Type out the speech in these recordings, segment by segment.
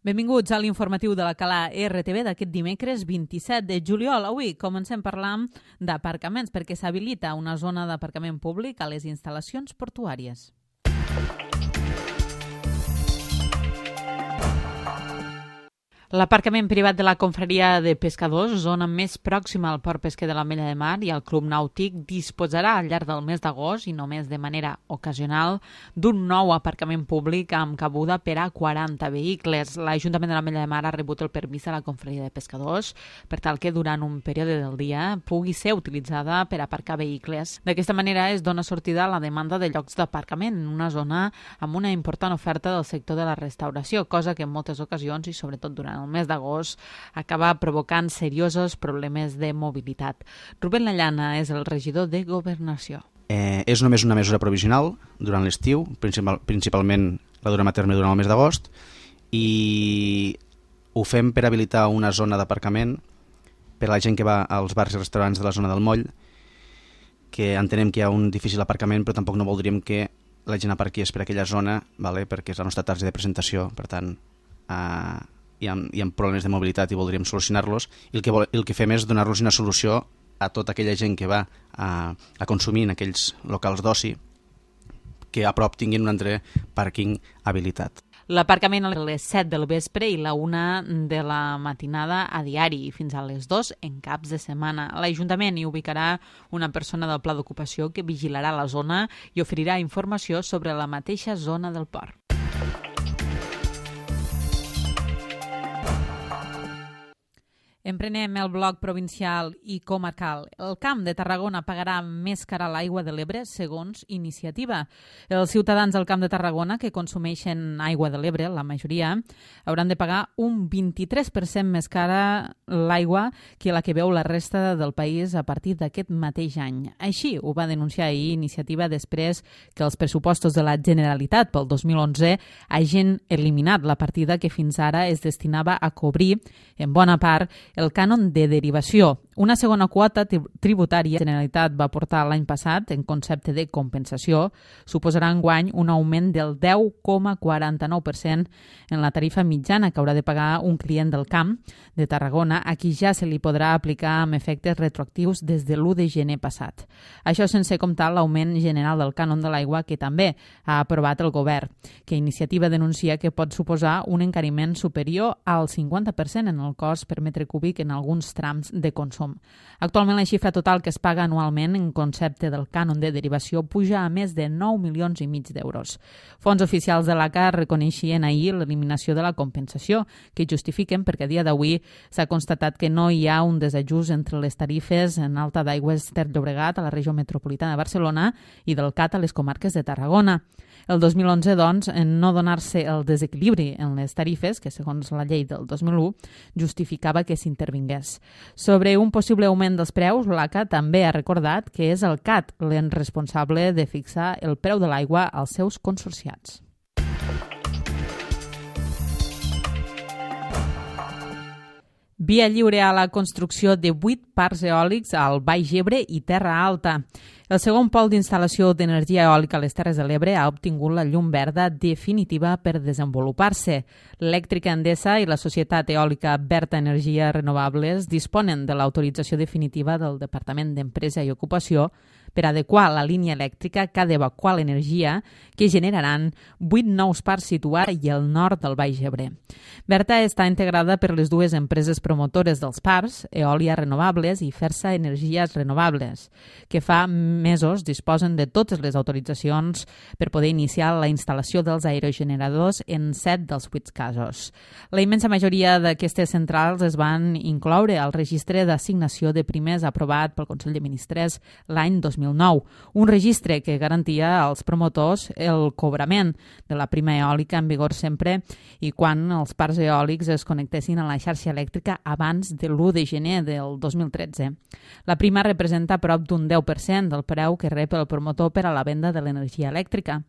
Benvinguts a l'informatiu de la Cala RTV d'aquest dimecres 27 de juliol. Avui comencem parlant d'aparcaments perquè s'habilita una zona d'aparcament públic a les instal·lacions portuàries. L'aparcament privat de la Confraria de Pescadors, zona més pròxima al port pesquer de l'Ametlla de Mar i al Club Nàutic, disposarà al llarg del mes d'agost, i només de manera ocasional, d'un nou aparcament públic amb cabuda per a 40 vehicles. L'Ajuntament de l'Ametlla de Mar ha rebut el permís de la Confraria de Pescadors per tal que durant un període del dia pugui ser utilitzada per aparcar vehicles. D'aquesta manera es dona sortida a la demanda de llocs d'aparcament en una zona amb una important oferta del sector de la restauració, cosa que en moltes ocasions, i sobretot durant el mes d'agost, acaba provocant seriosos problemes de mobilitat. Rubén Lallana és el regidor de Governació. És només una mesura provisional durant l'estiu, principalment la durem a terme durant el mes d'agost, i ho fem per habilitar una zona d'aparcament per a la gent que va als bars i restaurants de la zona del Moll, que entenem que hi ha un difícil aparcament, però tampoc no voldríem que la gent aparqués per aquella zona, perquè és la nostra targeta de presentació, per tant hi ha problemes de mobilitat i voldríem solucionar-los, i el que fem és donar-los una solució a tota aquella gent que va a consumir en aquells locals d'oci, que a prop tinguin un altre pàrquing habilitat. L'aparcament a les 7 del vespre i la 1 de la matinada a diari, fins a les 2 en caps de setmana. L'Ajuntament hi ubicarà una persona del pla d'ocupació que vigilarà la zona i oferirà informació sobre la mateixa zona del port. Emprenem el bloc provincial i comarcal. El Camp de Tarragona pagarà més cara l'aigua de l'Ebre segons iniciativa. Els ciutadans del Camp de Tarragona que consumeixen aigua de l'Ebre, la majoria, hauran de pagar un 23% més cara l'aigua que la que veu la resta del país a partir d'aquest mateix any. Així ho va denunciar ahir Iniciativa després que els pressupostos de la Generalitat pel 2011 hagin eliminat la partida que fins ara es destinava a cobrir, en bona part, el cànon de derivació, una segona quota tributària que la Generalitat va portar l'any passat en concepte de compensació, suposarà enguany un augment del 10,49% en la tarifa mitjana que haurà de pagar un client del Camp de Tarragona, a qui ja se li podrà aplicar amb efectes retroactius des de l'1 de gener passat. Això sense comptar l'augment general del cànon de l'aigua que també ha aprovat el govern, que Iniciativa denuncia que pot suposar un encariment superior al 50% en el cost per metre cúbic en alguns trams de consum. Actualment la xifra total que es paga anualment en concepte del cànon de derivació puja a més de 9,5 milions d'euros. Fons oficials de l'ACA reconeixien ahir l'eliminació de la compensació, que justifiquen perquè a dia d'avui s'ha constatat que no hi ha un desajust entre les tarifes en alta d'aigües Ter Llobregat a la regió metropolitana de Barcelona i del CAT a les comarques de Tarragona. El 2011, doncs, en no donar-se el desequilibri en les tarifes, que segons la llei del 2001 justificava que s'intervingués. Sobre un possible augment dels preus, l'ACA també ha recordat que és el CAT l'en responsable de fixar el preu de l'aigua als seus consorciats. Via lliure a la construcció de 8 parcs eòlics al Baix Ebre i Terra Alta. El segon pol d'instal·lació d'energia eòlica a les Terres de l'Ebre ha obtingut la llum verda definitiva per desenvolupar-se. Elèctrica Endesa i la Societat Eòlica Berta Energies Renovables disponen de l'autorització definitiva del Departament d'Empresa i Ocupació per adequar la línia elèctrica que ha d'evacuar l'energia que generaran 8 nous parcs situats al nord del Baix Ebre. Berta està integrada per les dues empreses promotores dels parcs, Eòlia Renovables i Fersa Energies Renovables, que fa mesos disposen de totes les autoritzacions per poder iniciar la instal·lació dels aerogeneradors en 7 dels 8 casos. La immensa majoria d'aquestes centrals es van incloure al registre d'assignació de primers aprovat pel Consell de Ministres l'any 2009, un registre que garantia als promotors el cobrament de la prima eòlica en vigor sempre i quan els parcs eòlics es connectessin a la xarxa elèctrica abans de l'1 de gener del 2013. La prima representa prop d'un 10% del preu que rep el promotor per a la venda de l'energia elèctrica.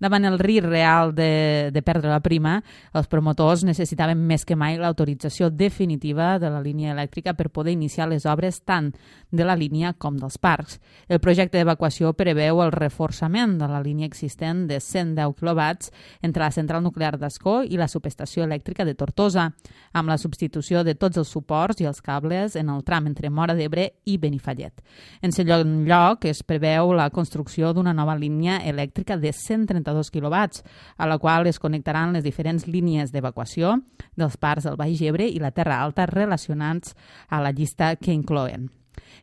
Davant el risc real de perdre la prima, els promotors necessitaven més que mai l'autorització definitiva de la línia elèctrica per poder iniciar les obres tant de la línia com dels parcs. El projecte projecte d'evacuació preveu el reforçament de la línia existent de 110 kW entre la central nuclear d'Ascó i la subestació elèctrica de Tortosa, amb la substitució de tots els suports i els cables en el tram entre Móra d'Ebre i Benifallet. En segon lloc, es preveu la construcció d'una nova línia elèctrica de 132 kW, a la qual es connectaran les diferents línies d'evacuació dels parcs del Baix Ebre i la Terra Alta relacionats a la llista que inclouen.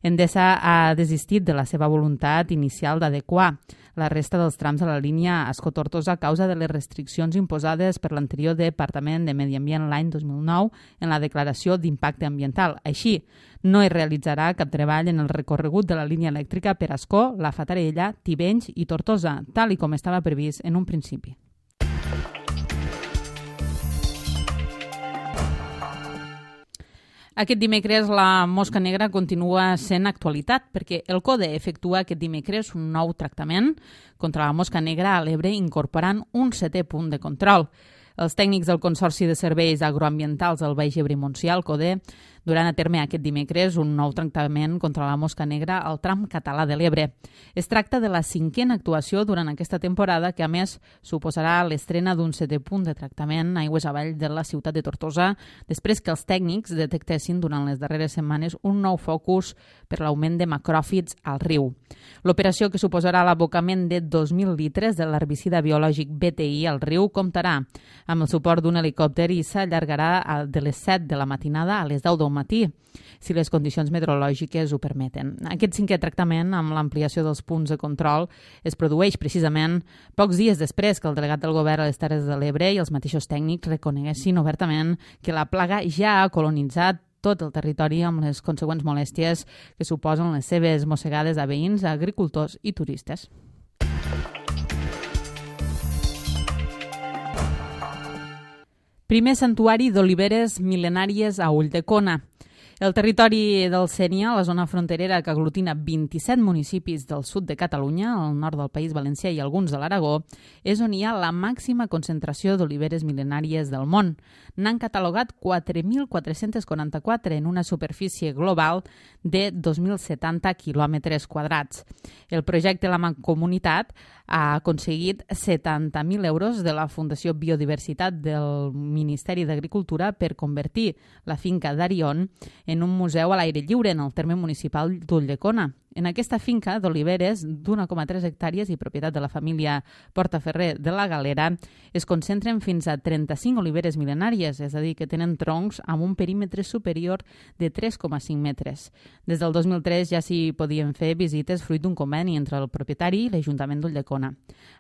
Endesa ha desistit de la seva voluntat inicial d'adequar la resta dels trams de la línia Ascó-Tortosa a causa de les restriccions imposades per l'anterior Departament de Medi Ambient l'any 2009 en la declaració d'impacte ambiental. Així, no es realitzarà cap treball en el recorregut de la línia elèctrica per Ascó, la Fatarella, Tivenys i Tortosa, tal i com estava previst en un principi. Aquest dimecres la mosca negra continua sent actualitat perquè el CODE efectua aquest dimecres un nou tractament contra la mosca negra a l'Ebre incorporant un 7è punt de control. Els tècnics del Consorci de Serveis Agroambientals del Baix Ebre i Montsià, el CODE, duran a terme aquest dimecres un nou tractament contra la mosca negra al tram català de l'Ebre. Es tracta de la 5a actuació durant aquesta temporada que, a més, suposarà l'estrena d'un 7è punt de tractament aigües avall de la ciutat de Tortosa, després que els tècnics detectessin durant les darreres setmanes un nou focus per l'augment de macròfits al riu. L'operació, que suposarà l'abocament de 2.000 litres de l'herbicida biològic BTI al riu, comptarà amb el suport d'un helicòpter i s'allargarà de les 7 de la matinada a les 10 del matí, si les condicions meteorològiques ho permeten. Aquest 5è tractament, amb l'ampliació dels punts de control, es produeix precisament pocs dies després que el delegat del govern a les Terres de l'Ebre i els mateixos tècnics reconeguessin obertament que la plaga ja ha colonitzat tot el territori amb les consegüents molèsties que suposen les seves mossegades a veïns, agricultors i turistes. Primer santuari d'oliveres mil·lenàries a Ulldecona. El territori del Sénia, la zona fronterera que aglutina 27 municipis del sud de Catalunya, al nord del País Valencià i alguns de l'Aragó, és on hi ha la màxima concentració d'oliveres mil·lenàries del món. N'han catalogat 4.444 en una superfície global de 2.070 quilòmetres quadrats. El projecte La Mancomunitat ha aconseguit 70.000 euros de la Fundació Biodiversitat del Ministeri d'Agricultura per convertir la finca d'Arion en un museu a l'aire lliure en el terme municipal d'Ulldecona. En aquesta finca d'oliveres d'1,3 hectàrees i propietat de la família Portaferrer de la Galera es concentren fins a 35 oliveres mil·lenàries, és a dir, que tenen troncs amb un perímetre superior de 3,5 metres. Des del 2003 ja s'hi podien fer visites fruit d'un conveni entre el propietari i l'Ajuntament d'Ulldecona.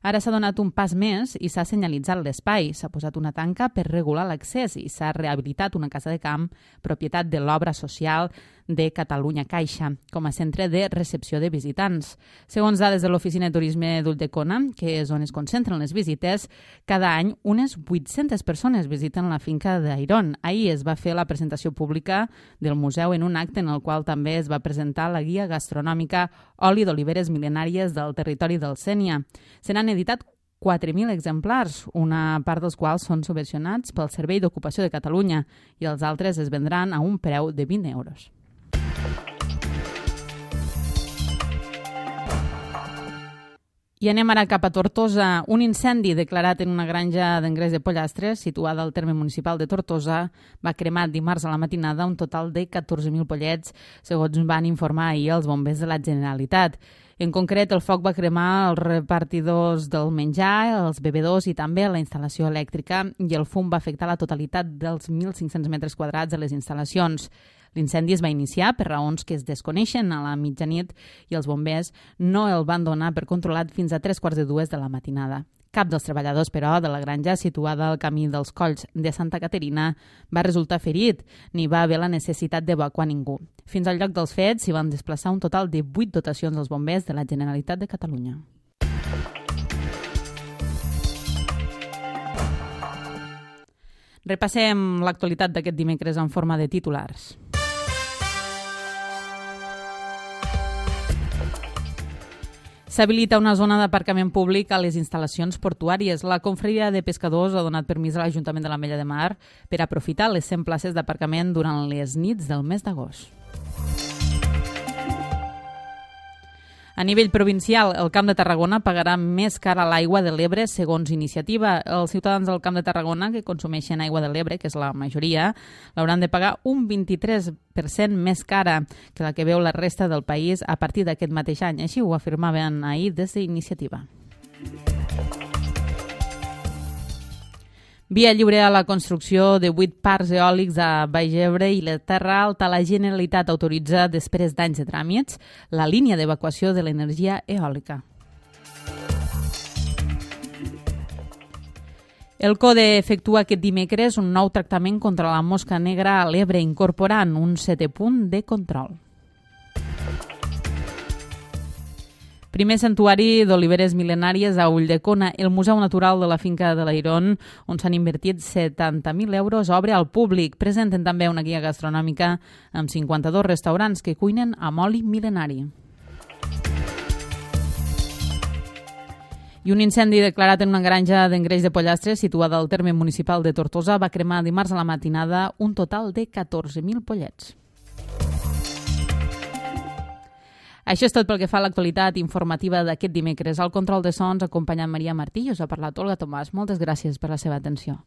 Ara s'ha donat un pas més i s'ha senyalitzat l'espai, s'ha posat una tanca per regular l'accés i s'ha rehabilitat una casa de camp, propietat de l'obra social de Catalunya Caixa, com a centre de recepció de visitants. Segons dades de l'Oficina de Turisme d'Ulldecona, que és on es concentren les visites, cada any unes 800 persones visiten la finca d'Airon. Ahir es va fer la presentació pública del museu en un acte en el qual també es va presentar la guia gastronòmica Oli d'oliveres mil·lenàries del territori del Sénia. Se n'han editat 4.000 exemplars, una part dels quals són subvencionats pel Servei d'Ocupació de Catalunya i els altres es vendran a un preu de 20 euros. I anem ara cap a Tortosa. Un incendi declarat en una granja d'engreix de pollastres situada al terme municipal de Tortosa va cremar dimarts a la matinada un total de 14.000 pollets, segons van informar ahir els bombers de la Generalitat. En concret, el foc va cremar els repartidors del menjar, els bevedors i també la instal·lació elèctrica, i el fum va afectar la totalitat dels 1.500 metres quadrats de les instal·lacions. L'incendi es va iniciar per raons que es desconeixen a la mitjanit i els bombers no el van donar per controlat fins a 3:45 de la matinada. Cap dels treballadors, però, de la granja situada al camí dels Colls de Santa Caterina va resultar ferit, ni va haver la necessitat d'evacuar ningú. Fins al lloc dels fets s'hi van desplaçar un total de 8 dotacions dels bombers de la Generalitat de Catalunya. Repassem l'actualitat d'aquest dimecres en forma de titulars. S'habilita una zona d'aparcament públic a les instal·lacions portuàries. La Confraria de Pescadors ha donat permís a l'Ajuntament de l'Ametlla de Mar per aprofitar les 100 places d'aparcament durant les nits del mes d'agost. A nivell provincial, el Camp de Tarragona pagarà més cara l'aigua de l'Ebre segons iniciativa. Els ciutadans del Camp de Tarragona que consumeixen aigua de l'Ebre, que és la majoria, l'hauran de pagar un 23% més cara que la que veu la resta del país a partir d'aquest mateix any. Així ho afirmaven ahir des d'Iniciativa. Via lliure a la construcció de 8 parcs eòlics a Baix Ebre i la Terra Alta. La Generalitat autoritza, després d'anys de tràmits, la línia d'evacuació de l'energia eòlica. El CODE efectua aquest dimecres un nou tractament contra la mosca negra a l'Ebre, incorporant un 7è punt de control. Primer santuari d'oliveres mil·lenàries a Ulldecona. El Museu Natural de la Finca de l'Airon, on s'han invertit 70.000 euros, obre al públic. Presenten també una guia gastronòmica amb 52 restaurants que cuinen amb oli mil·lenari. I un incendi declarat en una granja d'engreix de pollastres situada al terme municipal de Tortosa va cremar dimarts a la matinada un total de 14.000 pollets. Això és tot pel que fa a l'actualitat informativa d'aquest dimecres. Al control de sons, acompanyant Maria Martí, us ha parlat Olga Tomàs. Moltes gràcies per la seva atenció.